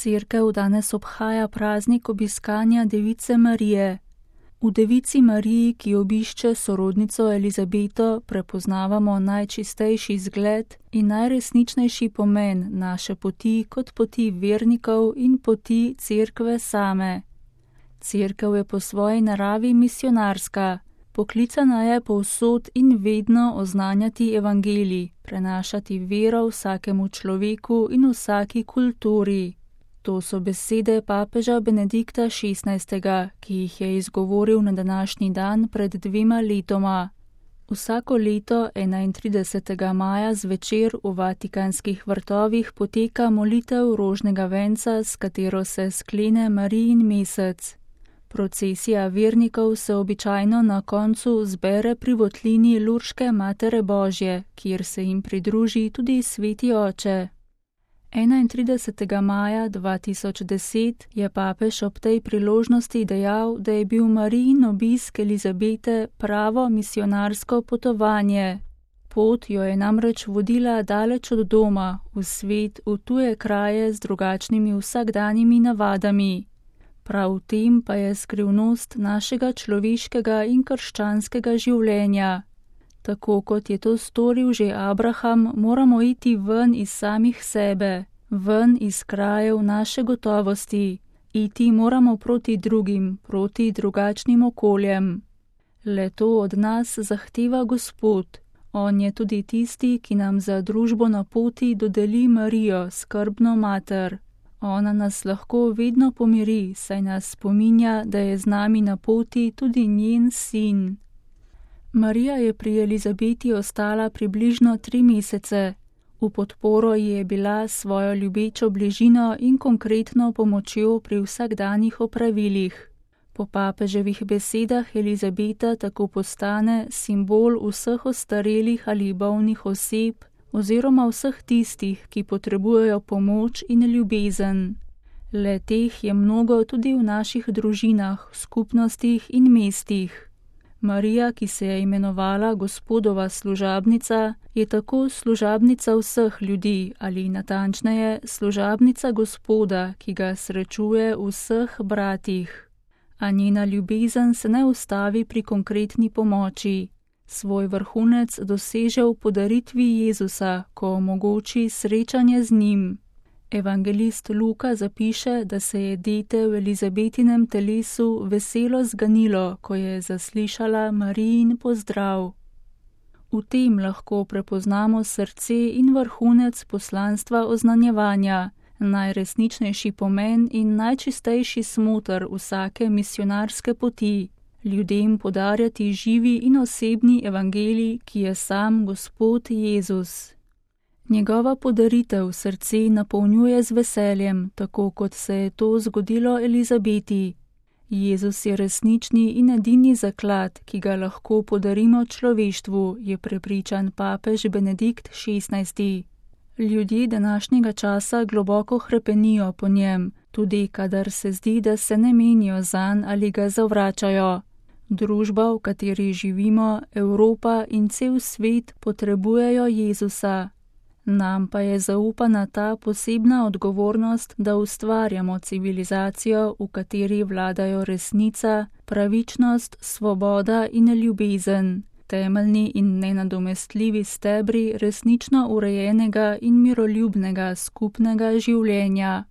Cerkev danes obhaja praznik obiskanja Device Marije. V Devici Mariji, ki obišče sorodnico Elizabeto, prepoznavamo najčistejši zgled in najresničnejši pomen naše poti kot poti vernikov in poti Cerkve same. Cerkev je po svoji naravi misionarska, poklicana je povsod in vedno oznanjati evangelij, prenašati vero vsakemu človeku in vsaki kulturi. To so besede papeža Benedikta XVI., ki jih je izgovoril na današnji dan pred 2 letoma. Vsako leto 31. maja zvečer v Vatikanskih vrtovih poteka molitev rožnega venca, s katero se sklene Marijin mesec. Procesija vernikov se običajno na koncu zbere pri votlini Lurške Matere Božje, kjer se jim pridruži tudi Sveti Oče. 31. maja 2010 je papež ob tej priložnosti dejal, da je bil Marijin obisk Elizabete pravo misionarsko potovanje. Pot jo je namreč vodila daleč od doma, v svet, v tuje kraje z drugačnimi vsakdanjimi navadami. Prav v tem pa je skrivnost našega človeškega in krščanskega življenja. Tako kot je to storil že Abraham, moramo iti ven iz samih sebe, ven iz krajev naše gotovosti. Iti moramo proti drugim, proti drugačnim okoljem. Le to od nas zahteva Gospod. On je tudi tisti, ki nam za družbo na poti dodeli Marijo, skrbno mater. Ona nas lahko vedno pomiri, saj nas spominja, da je z nami na poti tudi njen sin. Marija je pri Elizabeti ostala približno 3 mesece. V podporo ji je bila svojo ljubečo bližino in konkretno pomočjo pri vsakdanjih opravilih. Po papeževih besedah Elizabeta tako postane simbol vseh ostarelih ali bolnih oseb oziroma vseh tistih, ki potrebujejo pomoč in ljubezen. Le teh je mnogo tudi v naših družinah, skupnostih in mestih. Marija, ki se je imenovala Gospodova služabnica, je tako služabnica vseh ljudi ali natančneje služabnica Gospoda, ki ga srečuje v vseh bratih. A njena ljubezen se ne ustavi pri konkretni pomoči. Svoj vrhunec doseže v podaritvi Jezusa, ko omogoči srečanje z njim. Evangelist Luka zapiše, da se je dete v Elizabetinem telesu veselo zganilo, ko je zaslišala Marijin pozdrav. V tem lahko prepoznamo srce in vrhunec poslanstva oznanjevanja, najresničnejši pomen in najčistejši smoter vsake misionarske poti, ljudem podarjati živi in osebni evangelij, ki je sam Gospod Jezus. Njegova podaritev srce napolnjuje z veseljem, tako kot se je to zgodilo Elizabeti. Jezus je resnični in edini zaklad, ki ga lahko podarimo človeštvu, je prepričan papež Benedikt XVI. Ljudje današnjega časa globoko hrepenijo po njem, tudi kadar se zdi, da se ne menijo zanj ali ga zavračajo. Družba, v kateri živimo, Evropa in cel svet potrebujejo Jezusa. Nam pa je zaupana ta posebna odgovornost, da ustvarjamo civilizacijo, v kateri vladajo resnica, pravičnost, svoboda in ljubezen, temeljni in nenadomestljivi stebri resnično urejenega in miroljubnega skupnega življenja.